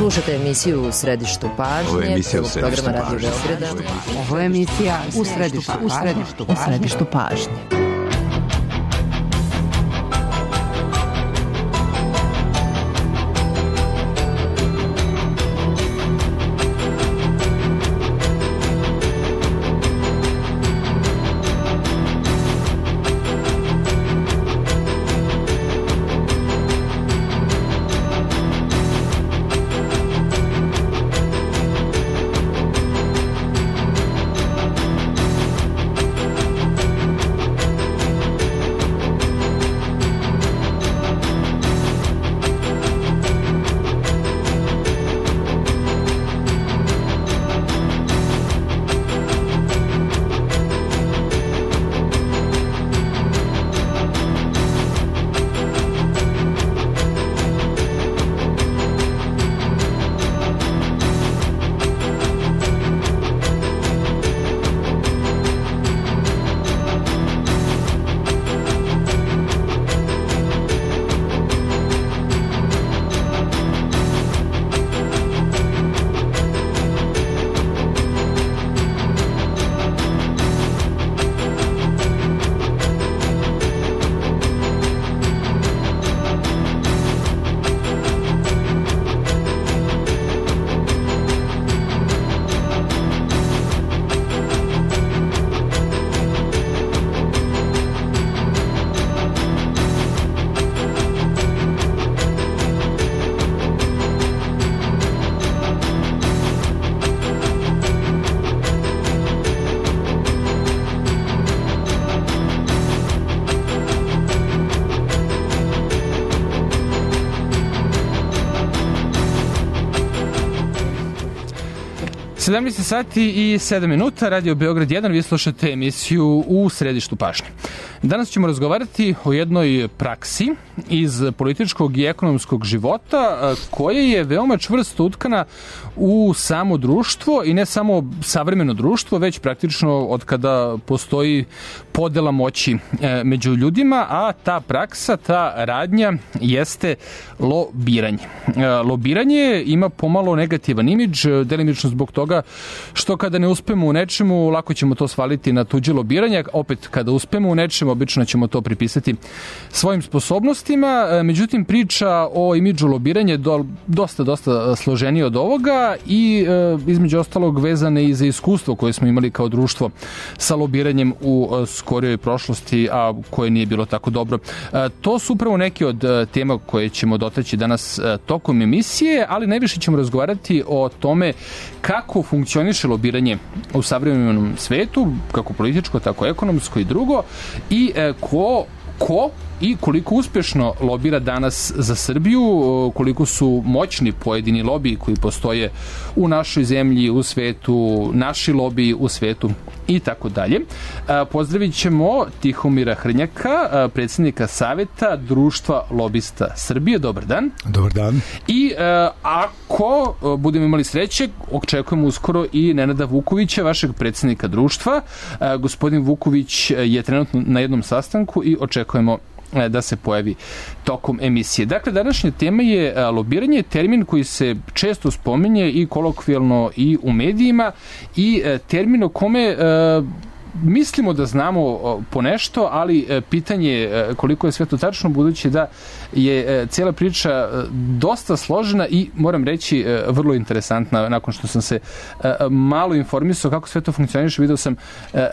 Slušate emisiju U središtu pažnje, programa Radio Beograda. Ovo je emisija U središtu pažnje. Sati i 7 minuta, Radio Beograd 1, vi slušate emisiju U središtu pažnje. Danas ćemo razgovarati o jednoj praksi iz političkog i ekonomskog života koja je veoma čvrsto utkana u samo društvo i ne samo savremeno društvo, već praktično od kada postoji podela moći među ljudima, a ta praksa, ta radnja jeste lobiranje. Lobiranje ima pomalo negativan imidž, delimično zbog toga što kada ne uspemo u nečemu, lako ćemo to svaliti na tuđe lobiranje, opet kada uspemo u nečemu, obično ćemo to pripisati svojim sposobnostima, međutim priča o imidžu lobiranja je dosta složenije od ovoga i između ostalog vezane i za iskustvo koje smo imali kao društvo sa lobiranjem u skorijoj prošlosti, a koje nije bilo tako dobro. To su upravo neke od tema koje ćemo dotaći danas tokom emisije, ali najviše ćemo razgovarati o tome kako funkcioniše lobiranje u savremenom svetu, kako političko, tako ekonomsko i drugo, i ko i koliko uspešno lobira danas za Srbiju, koliko su moćni pojedini lobiji koji postoje u našoj zemlji, u svetu, naši lobiji u svetu i tako dalje. Pozdravit ćemo Tihomira Hrnjaka, predsjednika Saveta Društva lobista Srbije. Dobar dan. Dobar dan. I ako budemo imali sreće, očekujemo uskoro i Nenada Vukovića, vašeg predsjednika društva. Gospodin Vuković je trenutno na jednom sastanku i očekujemo da se pojavi tokom emisije. Dakle, današnja tema je lobiranje, termin koji se često spominje i kolokvijalno i u medijima i termin o kome mislimo da znamo ponešto, ali pitanje je koliko je sve to tačno, budući da je cijela priča dosta složena i moram reći vrlo interesantna. Nakon što sam se malo informisao kako sve to funkcioniše, vidio sam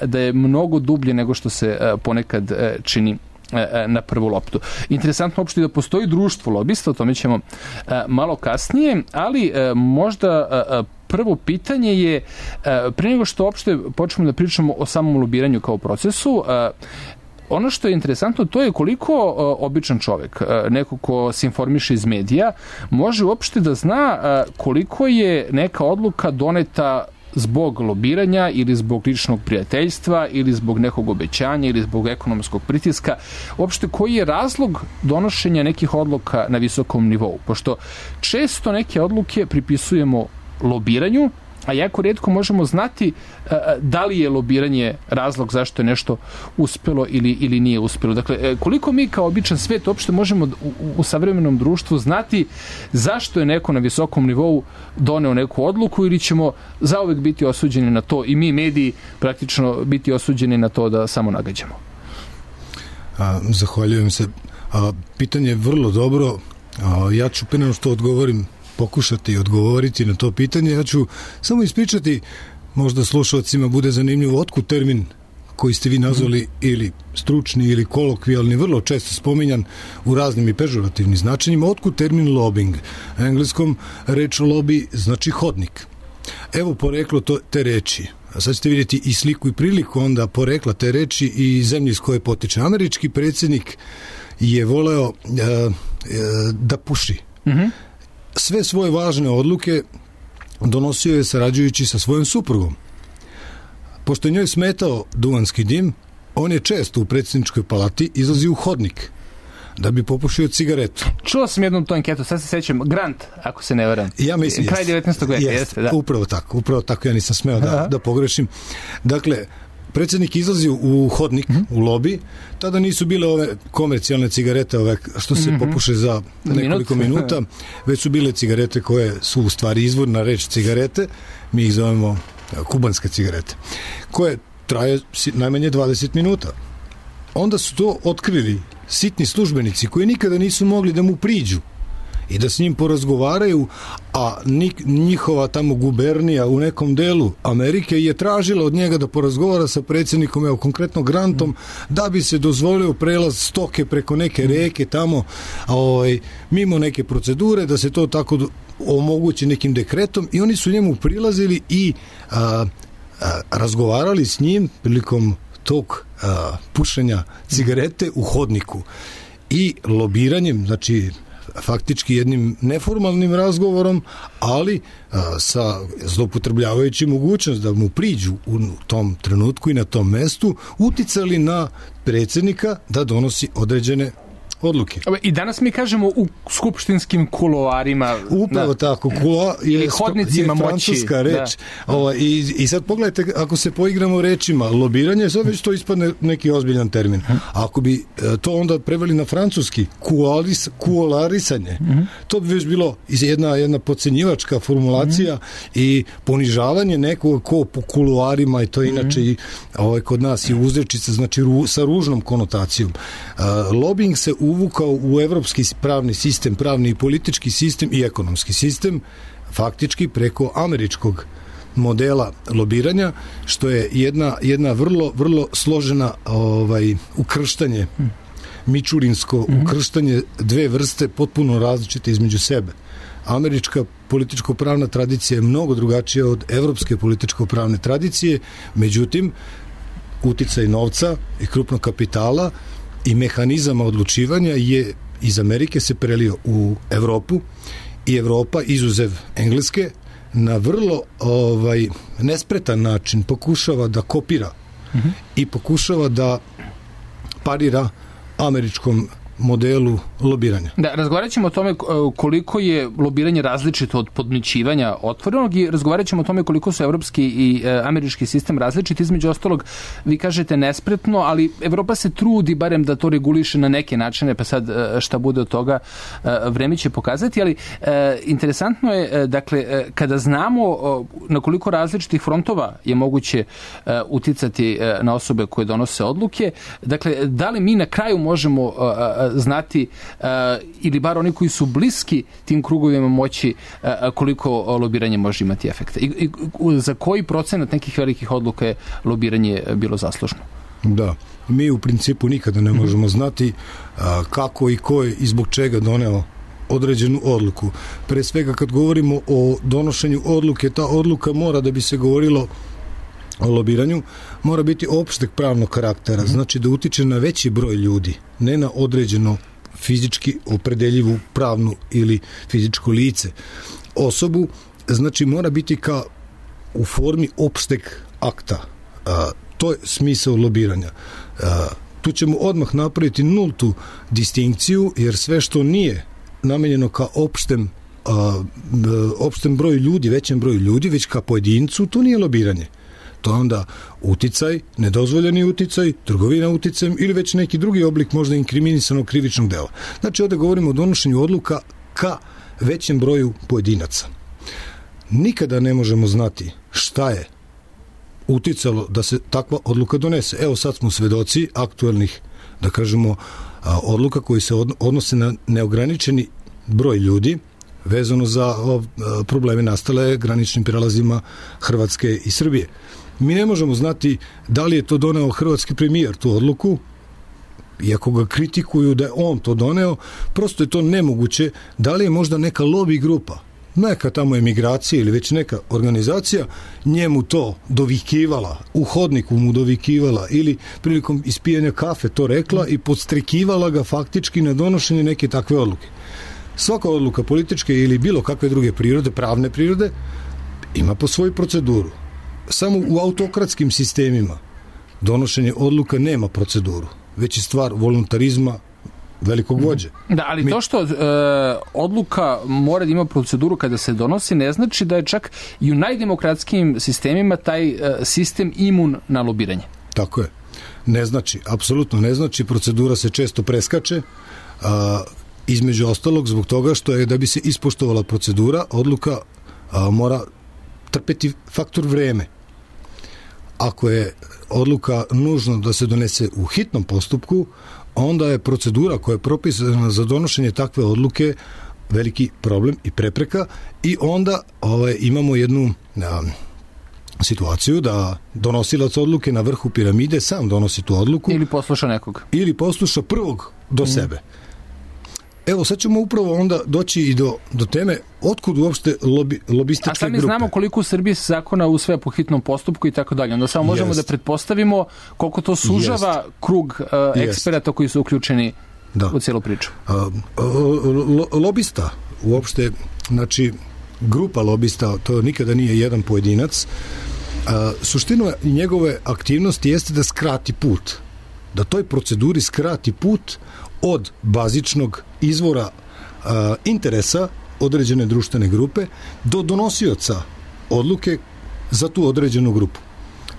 da je mnogo dublje nego što se ponekad čini na prvu loptu. Interesantno uopšte da postoji društvo lobista, o tome ćemo malo kasnije, ali možda prvo pitanje je, pre nego što uopšte počnemo da pričamo o samom lobiranju kao procesu, ono što je interesantno to je koliko običan čovek, neko ko se informiše iz medija, može uopšte da zna koliko je neka odluka doneta zbog lobiranja ili zbog ličnog prijateljstva ili zbog nekog obećanja ili zbog ekonomskog pritiska. Uopšte, koji je razlog donošenja nekih odluka na visokom nivou? Pošto često neke odluke pripisujemo lobiranju a jako rijetko možemo znati da li je lobiranje razlog zašto je nešto uspjelo ili nije uspjelo. Dakle, koliko mi kao običan svijet uopšte možemo u savremenom društvu znati zašto je neko na visokom nivou doneo neku odluku ili ćemo zauvek biti osuđeni na to i mi mediji praktično biti osuđeni na to da samo nagađamo? Zahvaljujem se. Pitanje je vrlo dobro. Ja ću prije nego što odgovorim pokušati odgovoriti na to pitanje. Ja ću samo ispričati, možda slušalcima bude zanimljivo, otkud termin koji ste vi nazvali ili stručni ili kolokvijalni, vrlo često spominjan u raznim i pežorativnim značenjima, otkud termin lobbying. Na engleskom reč lobby znači hodnik. Evo poreklo te reči. A sad ćete vidjeti i sliku i priliku onda porekla te reči i zemlji iz koje potiče. Američki predsjednik je voleo da puši. Sve svoje važne odluke donosio je sarađujući sa svojom suprugom. Pošto je njoj smetao duvanski dim, on je često u predsjedničkoj palati izlazio u hodnik da bi popušio cigaretu. Čuo sam jednom tu anketu, sad se sećam, Grant, ako se ne varam. Ja mislim, kraj 19. veka, jeste, da. Upravo tako, ja nisam smeo da pogrešim. Dakle, predsjednik izlazi u hodnik, u lobi, tada nisu bile ove komercijalne cigarete ove što se popuše za nekoliko minuta, već su bile cigarete koje su u stvari izvorna reč cigarete, mi ih zovemo kubanske cigarete, koje traje najmanje 20 minuta. Onda su to otkrili sitni službenici koji nikada nisu mogli da mu priđu i da s njim porazgovaraju, a njihova tamo gubernija u nekom delu Amerike je tražila od njega da porazgovara sa predsjednikom, evo konkretno Grantom, da bi se dozvolio prelaz stoke preko neke reke tamo, mimo neke procedure, da se to tako omogući nekim dekretom, i oni su njemu prilazili i razgovarali s njim prilikom tog pušenja cigarete u hodniku i lobiranjem, znači faktički jednim neformalnim razgovorom, ali sa zloupotrebljavajući mogućnost da mu priđu u tom trenutku i na tom mestu, uticali na predsjednika da donosi određene odluke. I danas mi kažemo u skupštinskim kuloarima. Upravo tako. Kuloar je francuska reč. I sad pogledajte, ako se poigramo rečima lobiranje, sad već to ispadne neki ozbiljan termin. Ako bi to onda preveli na francuski, kuolarisanje, to bi već bilo jedna podcenjivačka formulacija i ponižavanje nekog ko po kuloarima, i to inače i kod nas je uzrečica, znači sa ružnom konotacijom. Lobbying se uvukao u evropski pravni sistem, pravni i politički sistem i ekonomski sistem, faktički preko američkog modela lobiranja, što je jedna vrlo, vrlo složena ukrštanje, mičurinsko ukrštanje dve vrste potpuno različite između sebe. Američka političko-pravna tradicija je mnogo drugačija od evropske političko-pravne tradicije, međutim, uticaj novca i krupnog kapitala i mehanizama odlučivanja je iz Amerike se prelio u Evropu i Evropa, izuzev Engleske, na vrlo nespretan način pokušava da kopira i pokušava da parira američkom modelu lobiranja. Da, razgovarat ćemo o tome koliko je lobiranje različito od podmićivanja otvorenog i razgovarat ćemo o tome koliko su evropski i američki sistem različiti. Između ostalog, vi kažete nespretno, ali Evropa se trudi barem da to reguliše na neke načine, pa sad šta bude od toga vreme će pokazati, ali interesantno je, dakle, kada znamo na koliko različitih frontova je moguće uticati na osobe koje donose odluke, dakle, da li mi na kraju možemo znati ili bar oni koji su bliski tim krugovima moći koliko lobiranje može imati efekta i za koji procenat nekih velikih odluka je lobiranje bilo zaslužno? Da, mi u principu nikada ne možemo znati kako i ko je i zbog čega doneo određenu odluku. Pre svega kad govorimo o donošenju odluke, ta odluka mora, da bi se govorilo o lobiranju, mora biti opšteg pravnog karaktera, znači da utiče na veći broj ljudi, ne na određeno fizički opredeljivu pravnu ili fizičko lice. Osobu, znači mora biti u formi opšteg akta. To je smisao lobiranja. Tu ćemo odmah napraviti nultu distinkciju, jer sve što nije namenjeno ka opštem opštem broju ljudi, većem broju ljudi, već ka pojedincu, to nije lobiranje. To je onda uticaj, nedozvoljeni uticaj, trgovina uticajem ili već neki drugi oblik možda inkriminisanog krivičnog dela. Znači, ovdje govorimo o donošenju odluka ka većem broju pojedinaca. Nikada ne možemo znati šta je uticalo da se takva odluka donese. Evo sad smo svedoci aktuelnih, da kažemo, odluka koji se odnose na neograničeni broj ljudi vezano za probleme nastale graničnim prelazima Hrvatske i Srbije. Mi ne možemo znati da li je to doneo hrvatski premijer tu odluku, iako ga kritikuju da je on to doneo, prosto je to nemoguće. Da li je možda neka lobby grupa, neka tamo emigracija ili već neka organizacija njemu to dovikivala, u hodniku mu dovikivala ili prilikom ispijanja kafe to rekla i podstrekivala ga faktički na donošenje neke takve odluke. Svaka odluka političke ili bilo kakve druge prirode, pravne prirode, ima po svoju proceduru. Samo u autokratskim sistemima donošenje odluka nema proceduru, već je stvar voluntarizma velikog vođe. Da, ali to što odluka mora da ima proceduru kada se donosi, ne znači da je čak i u najdemokratskijim sistemima taj sistem imun na lobiranje. Tako je. Ne znači, apsolutno ne znači, procedura se često preskače, između ostalog zbog toga što je da bi se ispoštovala procedura, odluka mora trpeti faktor vreme. Ako je odluka nužno da se donese u hitnom postupku, onda je procedura koja je propisana za donošenje takve odluke veliki problem i prepreka i onda imamo jednu situaciju da donosilac odluke na vrhu piramide sam donosi tu odluku. Ili posluša nekog. Ili posluša prvog do sebe. Evo, sad ćemo upravo onda doći i do teme otkud uopšte lobističke grupe. A sad mi znamo koliko u Srbiji se zakona usvaja po hitnom postupku i tako dalje. Onda samo možemo da pretpostavimo koliko to sužava krug eksperata koji su uključeni u cijelu priču. Lobista uopšte, znači grupa lobista, to nikada nije jedan pojedinac. Suština njegove aktivnosti jeste da skrati put. Da toj proceduri skrati put od bazičnog izvora interesa određene društvene grupe do donosioca odluke za tu određenu grupu.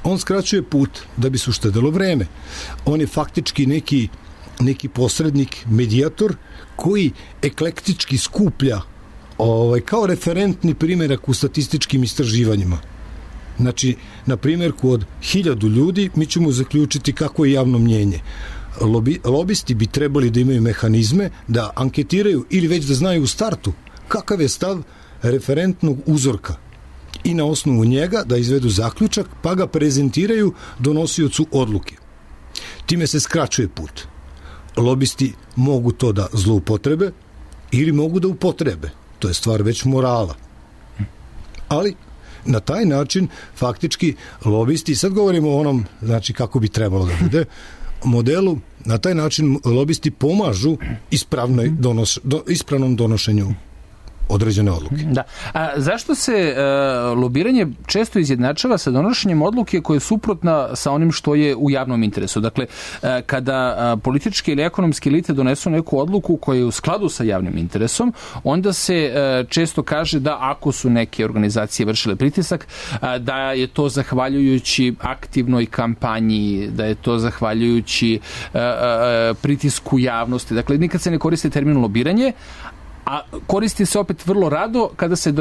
On skraćuje put da bi se uštedelo vreme. On je faktički neki posrednik, medijator koji eklektički skuplja kao referentni primjerak u statističkim istraživanjima. Znači, na primjerku od 1000 ljudi mi ćemo zaključiti kako je javno mnjenje. Lobisti bi trebali da imaju mehanizme da anketiraju ili već da znaju u startu kakav je stav referentnog uzorka i na osnovu njega da izvedu zaključak pa ga prezentiraju donosiocu odluke. Time se skraćuje put. Lobisti mogu to da zloupotrebe ili mogu da upotrebe. To je stvar već morala. Ali na taj način faktički lobisti, sad govorimo o onom, znači kako bi trebalo da bude, modelu, na taj način lobisti pomažu ispravnom donošenju određene odluke. Da. A zašto se lobiranje često izjednačava sa donošenjem odluke koja je suprotna sa onim što je u javnom interesu? Dakle, kada političke ili ekonomske elite donesu neku odluku koja je u skladu sa javnim interesom, onda se često kaže da ako su neke organizacije vršile pritisak, da je to zahvaljujući aktivnoj kampanji, da je to zahvaljujući pritisku javnosti. Dakle, nikad se ne koristi termin lobiranje, a koristi se opet vrlo rado kada se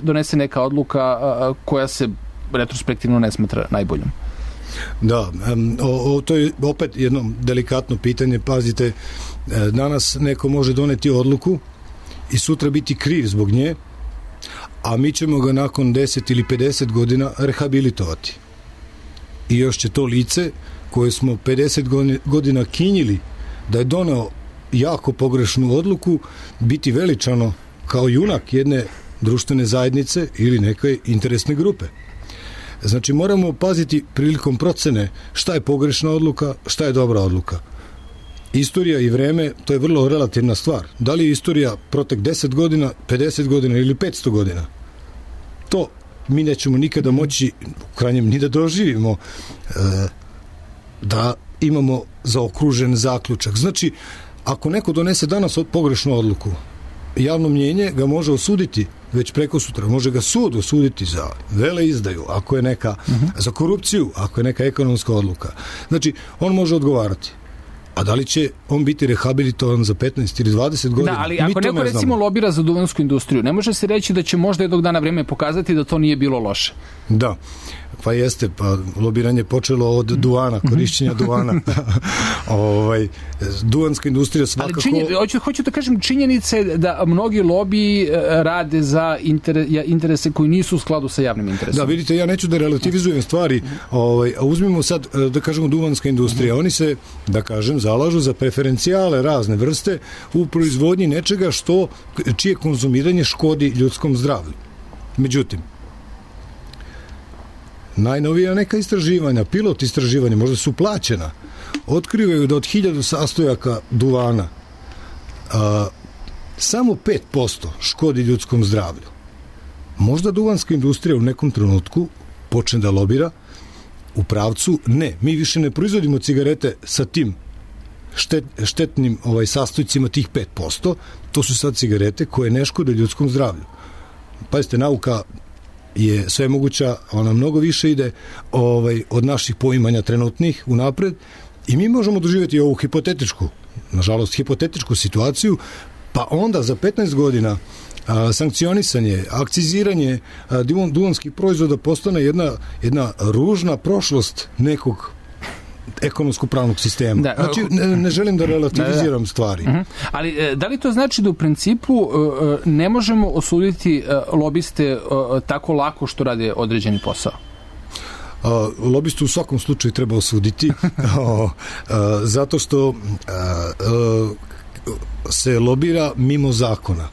donese neka odluka koja se retrospektivno ne smatra najboljom. Da, to je opet jedno delikatno pitanje. Pazite, danas neko može doneti odluku i sutra biti kriv zbog nje, a mi ćemo ga nakon 10 ili 50 godina rehabilitovati. I još će to lice koje smo 50 godina kinjili da je doneo jako pogrešnu odluku biti veličano kao junak jedne društvene zajednice ili neke interesne grupe. Znači, moramo paziti prilikom procene šta je pogrešna odluka, šta je dobra odluka. Istorija i vreme, to je vrlo relativna stvar. Da li je istorija protek 10 godina, 50 godina ili 500 godina? To mi nećemo nikada moći, u krajnjem, ni da doživimo da imamo zaokružen zaključak. Znači, ako neko donese danas pogrešnu odluku, javno mnjenje ga može osuditi već preko sutra. Može ga sud osuditi za veleizdaju, ako je neka, za korupciju, ako je neka ekonomska odluka. Znači, on može odgovarati. A da li će on biti rehabilitovan za 15 ili 20 godina? Da, ali ako neko recimo lobira za duvansku industriju, ne može se reći da će možda jednog dana vreme pokazati da to nije bilo loše. Da, pa jeste, pa lobiranje počelo od duvana, korišćenja duvana. Duvanska industrija svakako... Ali hoću da kažem, činjenice da mnogi lobiji rade za interese koji nisu u skladu sa javnim interesom. Da, vidite, ja neću da relativizujem stvari, a uzmimo sad, da kažemo, duvanska industrija. Oni se, da kažem, zalažu za preferencijale razne vrste u proizvodnji nečega čije konzumiranje škodi ljudskom zdravlju. Međutim, najnovija neka istraživanja, pilot istraživanja, možda su plaćena, otkrivaju da od 1000 sastojaka duvana samo 5% škodi ljudskom zdravlju. Možda duvanska industrija u nekom trenutku počne da lobira u pravcu, ne, mi više ne proizvodimo cigarete sa tim štetnim sastojcima tih 5%, to su sad cigarete koje ne škode ljudskom zdravlju. Pazite, nauka je sve moguća, ona mnogo više ide od naših poimanja trenutnih unapred i mi možemo doživjeti ovu hipotetičku, nažalost hipotetičku situaciju, pa onda za 15 godina sankcionisanje, akciziranje duvanskih proizvoda postane jedna ružna prošlost nekog ekonomsko-pravnog sistema. Da, znači, ne želim da relativiziram stvari. Ali da li to znači da u principu ne možemo osuditi lobiste tako lako što rade određeni posao? Lobistu u svakom slučaju treba osuditi zato što se lobira mimo zakona.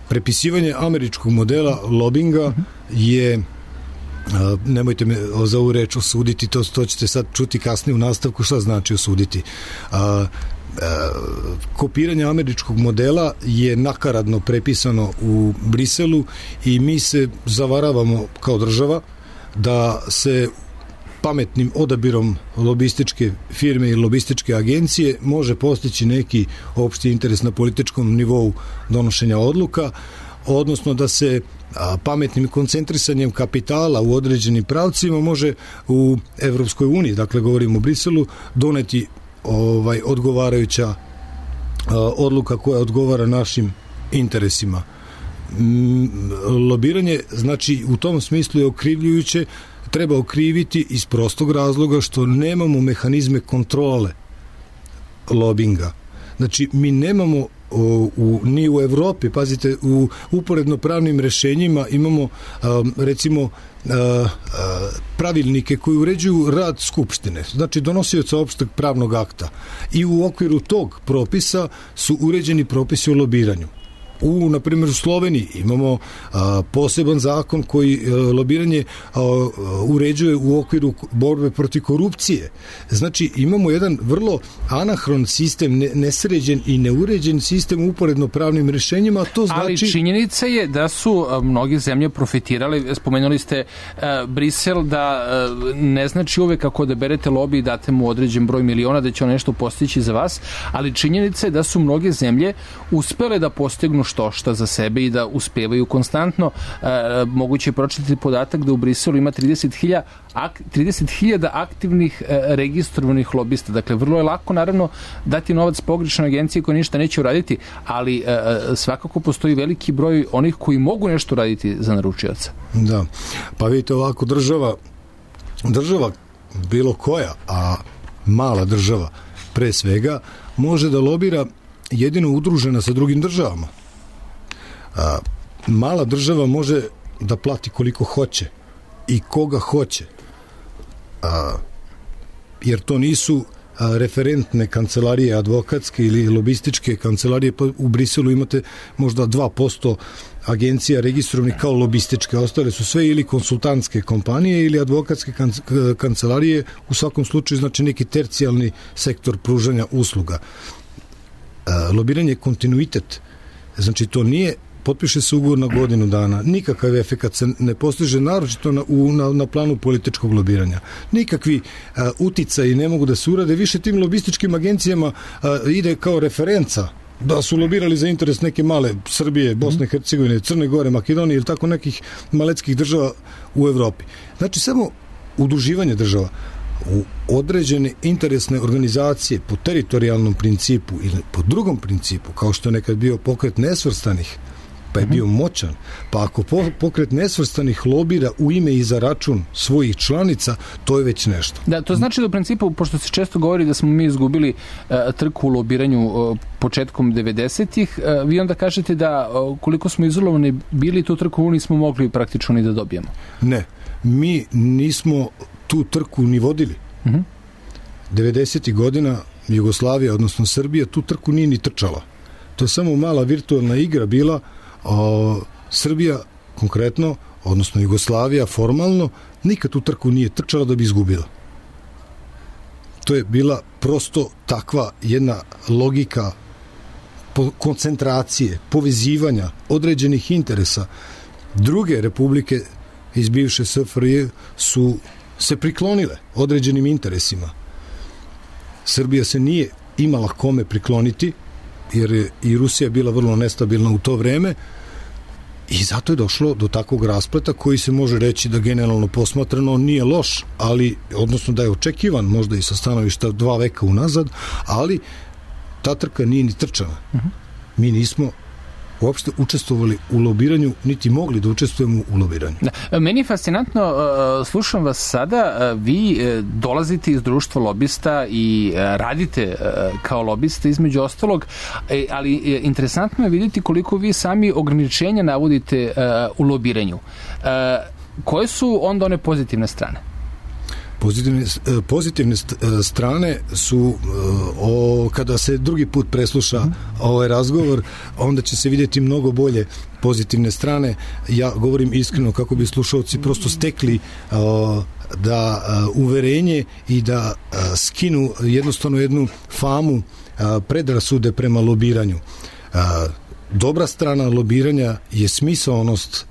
Prepisivanje američkog modela lobinga je, nemojte me za ovu reč osuditi, to ćete sad čuti kasnije u nastavku šta znači osuditi. Kopiranje američkog modela je nakaradno prepisano u Briselu i mi se zavaravamo kao država da se pametnim odabirom lobističke firme i lobističke agencije može postići neki opšti interes na političkom nivou donošenja odluka, odnosno da se pametnim koncentrisanjem kapitala u određenim pravcima može u Evropskoj uniji, dakle govorimo o Briselu, doneti odgovarajuća odluka koja odgovara našim interesima. Lobiranje, znači, u tom smislu je okrivljujuće, treba okriviti iz prostog razloga što nemamo mehanizme kontrole lobinga. Znači, mi nemamo ni u Evropi, pazite, u uporedno pravnim rešenjima imamo recimo pravilnike koji uređuju rad Skupštine, znači donosioca opšteg pravnog akta, i u okviru tog propisa su uređeni propisi o lobiranju. Na primjer, u Sloveniji imamo poseban zakon koji lobiranje uređuje u okviru borbe protiv korupcije. Znači, imamo jedan vrlo anahron sistem, nesređen i neuređen sistem uporedno pravnim rešenjima, to znači... Ali činjenica je da su mnoge zemlje profitirali, spomenuli ste Brisel, da ne znači uvek ako odaberete lobi i date mu određen broj miliona da će on nešto postići za vas, ali činjenica je da su mnoge zemlje uspele da postignu što za sebe i da uspevaju konstantno. Moguće je pročitati podatak da u Briselu ima 30.000 aktivnih registrovanih lobista. Dakle, vrlo je lako, naravno, dati novac pogrešnoj agenciji koja ništa neće uraditi, ali svakako postoji veliki broj onih koji mogu nešto uraditi za naručioca. Da, pa vidite ovako, država bilo koja, a mala država pre svega, može da lobira jedino udružena sa drugim državama. Mala država može da plati koliko hoće i koga hoće, jer to nisu referentne kancelarije advokatske ili lobističke kancelarije. U Briselu imate možda 2% agencija registrovanih kao lobističke, ostale su sve ili konsultantske kompanije ili advokatske kancelarije, u svakom slučaju znači neki tercijalni sektor pružanja usluga. Lobiranje je kontinuitet, znači to nije potpiše se ugovor na godinu dana, nikakav efekat se ne postiže, naročito na planu političkog lobiranja. Nikakvi uticaji ne mogu da se urade, više tim lobističkim agencijama ide kao referenca da su lobirali za interes neke male Srbije, Bosne, Hercegovine, Crne Gore, Makedonije ili tako nekih maletskih država u Evropi. Znači, samo udruživanje država u određene interesne organizacije po teritorijalnom principu ili po drugom principu, kao što je nekad bio pokret nesvrstanih, pa je bio moćan, pa ako pokret nesvrstanih lobira u ime i za račun svojih članica, to je već nešto. Da, to znači da u principu, pošto se često govori da smo mi izgubili trku u lobiranju početkom 90-ih, vi onda kažete da koliko smo izolovani bili, tu trku nismo mogli praktično ni da dobijemo. Ne, mi nismo tu trku ni vodili. 90-ih godina Jugoslavija, odnosno Srbija, tu trku nije ni trčala. To je samo mala virtualna igra bila. Srbija konkretno, odnosno Jugoslavija formalno, nikad tu trku nije trčala da bi izgubila. To je bila prosto takva jedna logika koncentracije, povezivanja određenih interesa. Druge republike iz bivše SFRJ su se priklonile određenim interesima. Srbija se nije imala kome prikloniti, jer je i Rusija bila vrlo nestabilna u to vreme i zato je došlo do takvog raspleta koji se može reći da generalno posmatrano nije loš, ali, odnosno da je očekivan možda i sa stanovišta 2 veka unazad, ali ta trka nije ni trčana. Mi nismo uopšte učestvovali u lobiranju, niti mogli da učestvujemo u lobiranju. Meni je fascinantno, slušam vas sada, vi dolazite iz društva lobista i radite kao lobista između ostalog, ali interesantno je vidjeti koliko vi sami ograničenja navodite u lobiranju. Koje su onda one pozitivne strane? Pozitivne strane su kada se drugi put presluša ovaj razgovor, onda će se vidjeti mnogo bolje pozitivne strane. Ja govorim iskreno kako bi slušalci prosto stekli da uverenje i da skinu jednostavno jednu famu predrasude prema lobiranju. Dobra strana lobiranja je smisaonost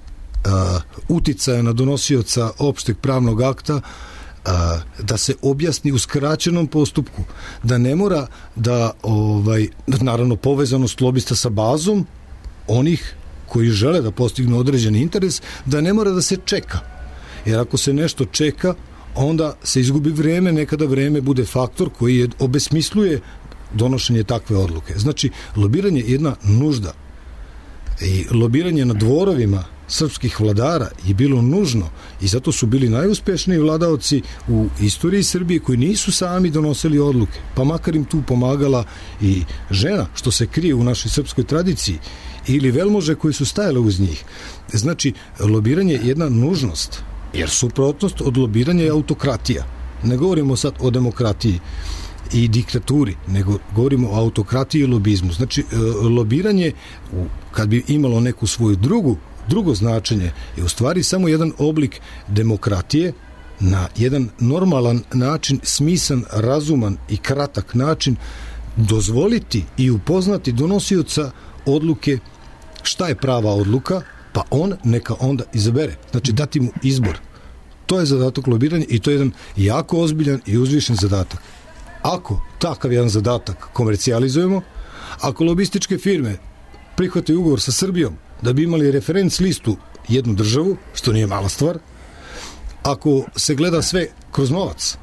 uticaja na donosioca opšteg pravnog akta, da se objasni u skraćenom postupku, da ne mora da naravno povezanost lobista sa bazom onih koji žele da postignu određeni interes, da ne mora da se čeka. Jer ako se nešto čeka, onda se izgubi vreme, nekada vreme bude faktor koji obesmisluje donošenje takve odluke. Znači, lobiranje je jedna nužda. I lobiranje na dvorovima srpskih vladara je bilo nužno i zato su bili najuspešniji vladaoci u istoriji Srbije koji nisu sami donosili odluke, pa makar im tu pomagala i žena, što se krije u našoj srpskoj tradiciji, ili velmože koji su stajale uz njih. Znači, lobiranje je jedna nužnost, jer suprotnost od lobiranja je autokratija. Ne govorimo sad o demokratiji i diktaturi, nego govorimo o autokratiji i lobizmu. Znači, lobiranje, kad bi imalo neku svoju drugo značenje, je u stvari samo jedan oblik demokratije na jedan normalan način, smisan, razuman i kratak način dozvoliti i upoznati donosioca odluke šta je prava odluka, pa on neka onda izabere. Znači, dati mu izbor. To je zadatak lobiranja i to je jedan jako ozbiljan i uzvišen zadatak. Ako takav jedan zadatak komercijalizujemo, ako lobističke firme prihvataju ugovor sa Srbijom da bi imali referenc listu jednu državu, što nije mala stvar, ako se gleda sve kroz novac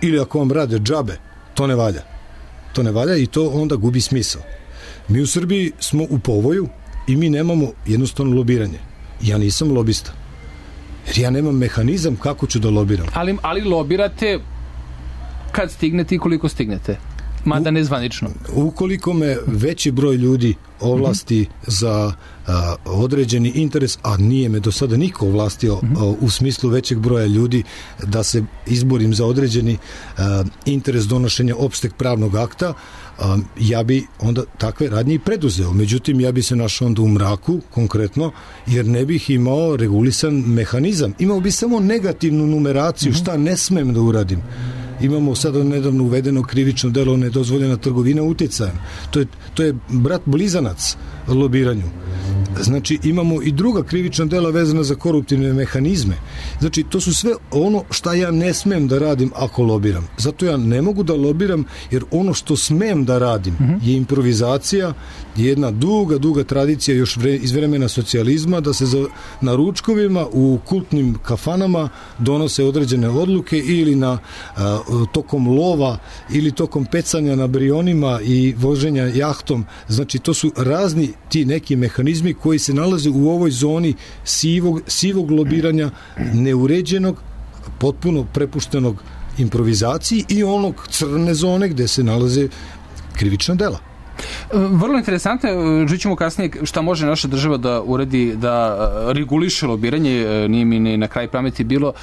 ili ako vam rade džabe, to ne valja. To ne valja i to onda gubi smisao. Mi u Srbiji smo u povoju i mi nemamo jednostavno lobiranje. Ja nisam lobista. Jer ja nemam mehanizam kako ću da lobiram. Ali lobirate kad stignete i koliko stignete? Mada nezvanično. Ukoliko me veći broj ljudi ovlasti za određeni interes, a nije me do sada niko ovlastio u smislu većeg broja ljudi da se izborim za određeni interes donošenja opšteg pravnog akta, ja bi onda takve radnje i preduzeo. Međutim, ja bi se našao onda u mraku, konkretno, jer ne bih imao regulisan mehanizam. Imao bi samo negativnu numeraciju, šta ne smem da uradim. Imamo sada nedavno uvedeno krivično delo nedozvoljena trgovina uticajem. To je brat blizanac lobiranju. znači imamo i druga krivična dela vezana za koruptivne mehanizme. Znači to su sve ono šta ja ne smem da radim ako lobiram. Zato ja ne mogu da lobiram, jer ono što smem da radim je improvizacija, jedna duga tradicija još iz vremena socijalizma, da se na ručkovima u kultnim kafanama donose određene odluke ili tokom lova ili tokom pecanja na brionima i voženja jahtom. Znači to su razni ti neki mehanizmi koji se nalaze u ovoj zoni sivog lobiranja, neuređenog, potpuno prepuštenog improvizaciji i onog crne zone gde se nalaze krivična dela. Vrlo interesantno, žićemo kasnije šta može naša država da uredi, da reguliše lobiranje. Nije mi ni na kraj pameti bilo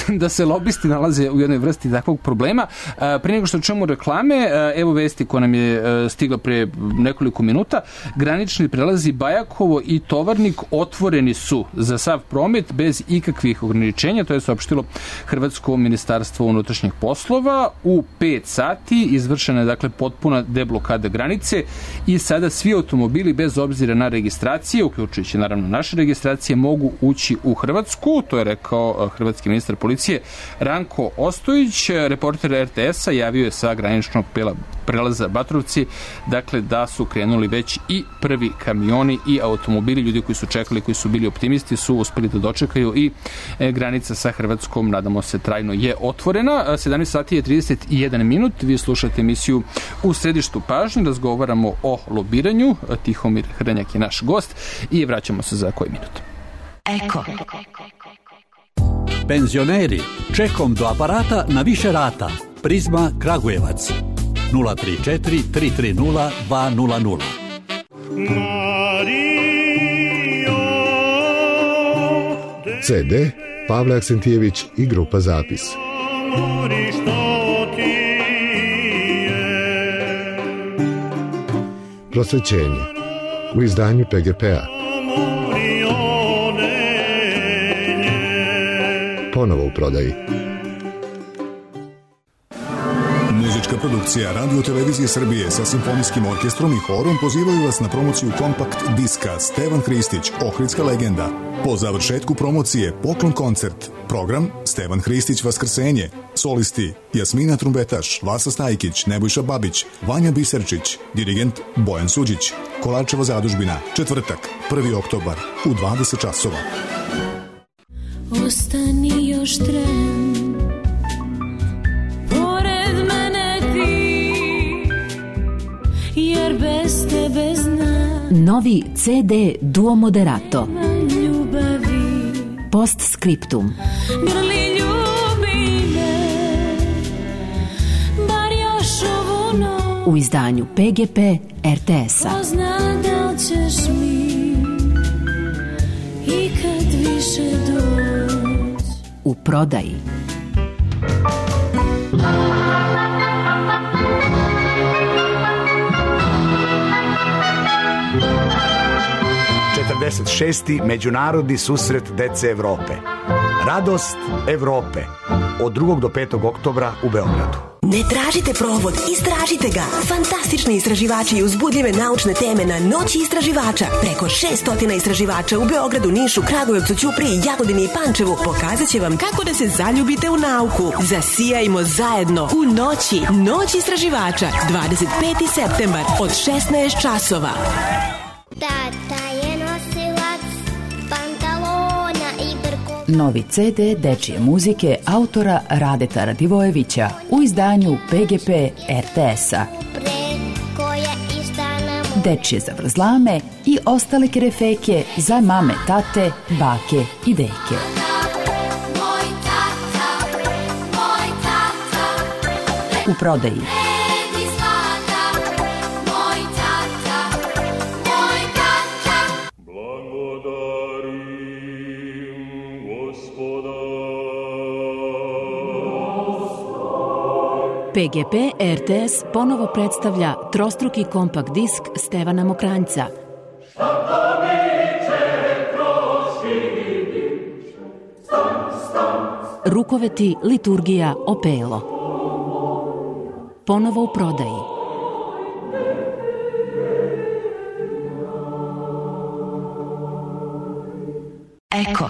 da se lobisti nalaze u jednoj vrsti takvog problema. Pre nego što čujemo reklame, evo vesti koja nam je stigla pre nekoliko minuta. Granični prelazi Bajakovo i Tovarnik otvoreni su za sav promet bez ikakvih ograničenja, to je saopštilo Hrvatsko ministarstvo unutrašnjih poslova. U 5 sati izvršena je dakle potpuna deblokada granice i sada svi automobili bez obzira na registracije, uključujući naravno naše registracije, mogu ući u Hrvatsku. To je rekao hrvatski ministar policije Ranko Ostojić. Reporter RTS-a javio je sa graničnog prelaza Batrovci, dakle da su krenuli već i prvi kamioni i automobili. Ljudi koji su čekali, koji su bili optimisti, su uspeli da dočekaju i granica sa Hrvatskom, nadamo se, trajno je otvorena. 17 sati je 31 minut. Vi slušate emisiju U središtu pažnje. Razgovaramo o lobiranju. Tihomir Hrnjak je naš gost i vraćamo se za koji minut. Eko. Penzioneri, čekom do aparata na više rata. Prizma Kragujevac 034 330 200. CD Pavle Aksentijević i grupa Zapis. Prosvećenje u izdanju PGP-a. Ponovo u prodaji. Muzička produkcija Radio Televizije Srbije sa simfonijskim orkestrom i horom pozivaju vas na promociju kompakt diska Stevan Hristić, Ohridska legenda. Po završetku promocije poklon koncert. Program Stevan Hristić Vaskrsenje. Solisti Jasmina Trumbetaš, Vasa Stajkić, Nebojša Babić, Vanja Biserčić, dirigent Bojan Suđić. Kolarčeva zadužbina, četvrtak, 1. oktobar u 20 časova. Ostani još tren, pored mene ti, jer bez tebe znam. Novi CD Duo Moderato. Post scriptum. Grli ljubi me, bar još ovu noć. U izdanju PGP RTS-a. Ko zna da li ćeš mi ikad više doć. U prodaji. šesti Međunarodni susret dece Evrope. Radost Evrope. Od 2. do 5. oktobra u Beogradu. Ne tražite provod, istražite ga. Fantastični istraživači i uzbudljive naučne teme na Noći istraživača. Preko 600 istraživača u Beogradu, Nišu, Kragujevcu, Ćupriji, Jagodini i Pančevu pokazat će vam kako da se zaljubite u nauku. Zasijajmo zajedno u Noći. Noć istraživača. 25. septembar od 16 časova. Tata je nosilac pantalona i brkova. Novi CD dečije muzike autora Radeta Radivojevića u izdanju PGP RTS-a. Dečije zavrzlame i ostale kerefeke za mame, tate, bake i deke. U prodaji. PGP RTS ponovo predstavlja trostruki kompakt disk Stevana Mokranjca. Rukoveti, liturgija, opelo. Ponovo u prodaji. Eko.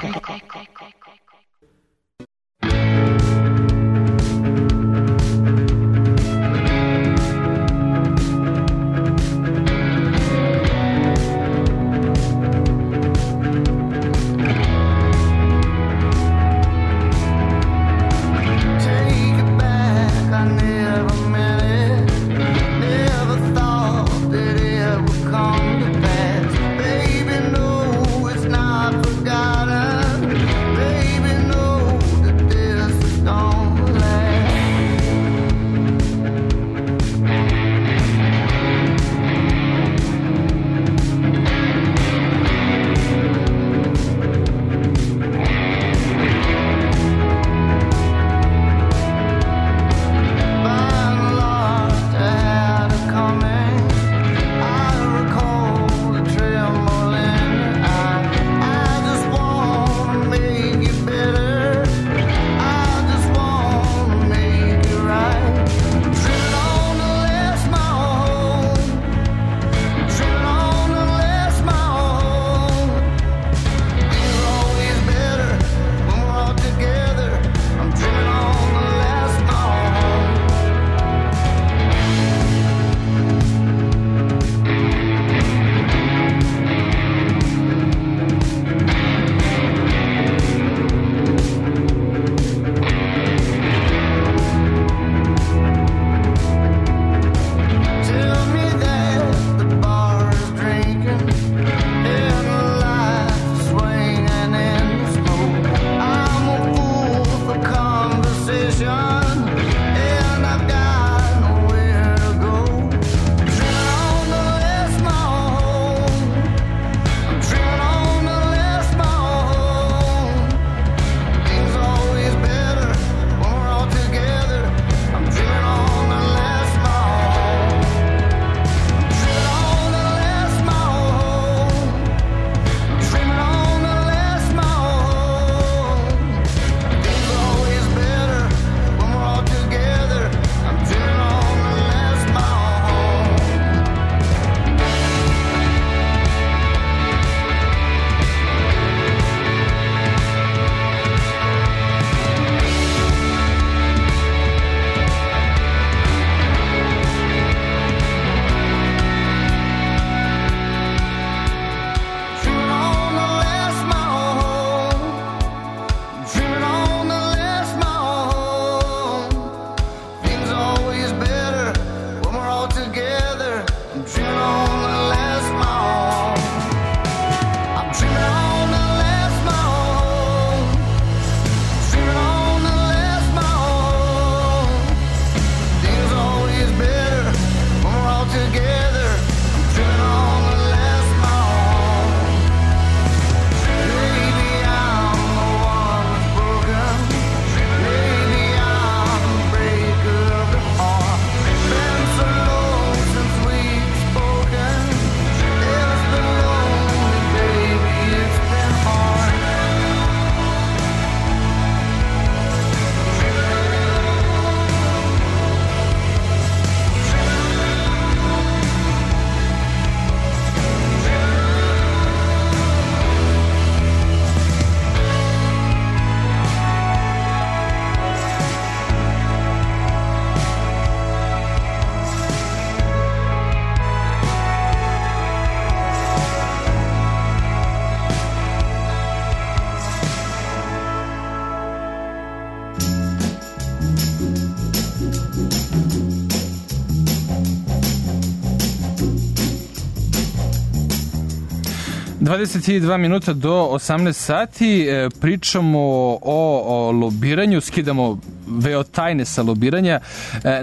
...22 minuta do 18 sati, pričamo o lobiranju, skidamo veo tajne sa lobiranja.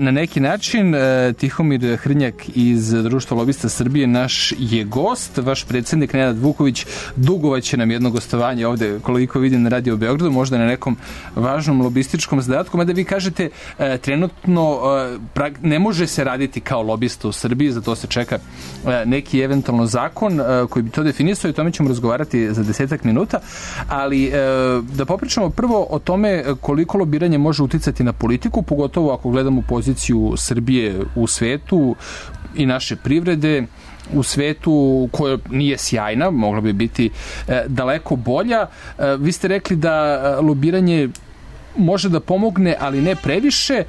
Na neki način Tihomir Hrnjak iz Društva lobista Srbije naš je gost, vaš predsjednik Nenad Vuković dugovaće nam jedno gostovanje ovde, koliko vidim, na Radio Beogradu, možda na nekom važnom lobističkom zadatku, mada vi kažete trenutno ne može se raditi kao lobista u Srbiji, zato se čeka neki eventualno zakon koji bi to definisao i o tome ćemo razgovarati za 10 minuta, ali da popričamo prvo o tome koliko lobiranje može uticati na politiku, pogotovo ako gledamo poziciju Srbije u svetu i naše privrede u svetu koja nije sjajna, mogla bi biti daleko bolja. Vi ste rekli da lobiranje može da pomogne, ali ne previše.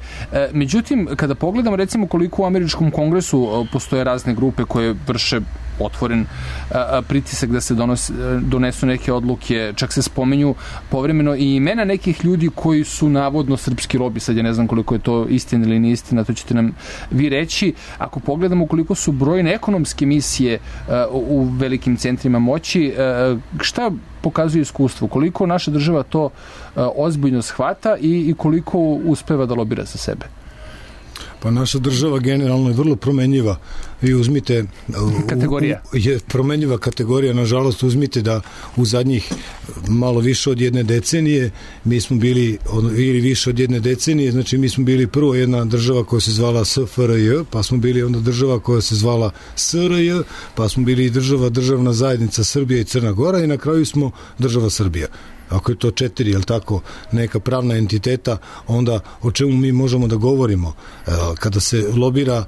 Međutim, kada pogledamo recimo koliko u američkom kongresu postoje razne grupe koje vrše otvoren pritisak da se donesu neke odluke, čak se spomenju povremeno i imena nekih ljudi koji su navodno srpski lobi, sad ja ne znam koliko je to istina ili nije istina, to ćete nam vi reći. Ako pogledamo koliko su brojne ekonomske misije u velikim centrima moći, šta pokazuje iskustvo? Koliko naša država to ozbiljno shvata i koliko uspeva da lobira za sebe? Pa naša država generalno je vrlo promenljiva. Vi uzmite... Kategorija. Je promenljiva kategorija. Nažalost, uzmite da u zadnjih malo više od jedne decenije mi smo bili, ili više od jedne decenije, znači mi smo bili prvo jedna država koja se zvala SFRJ, pa smo bili onda država koja se zvala SRJ, pa smo bili državna zajednica Srbija i Crna Gora i na kraju smo država Srbija. Ako je to 4, jel tako, neka pravna entiteta, onda o čemu mi možemo da govorimo? Kada se lobira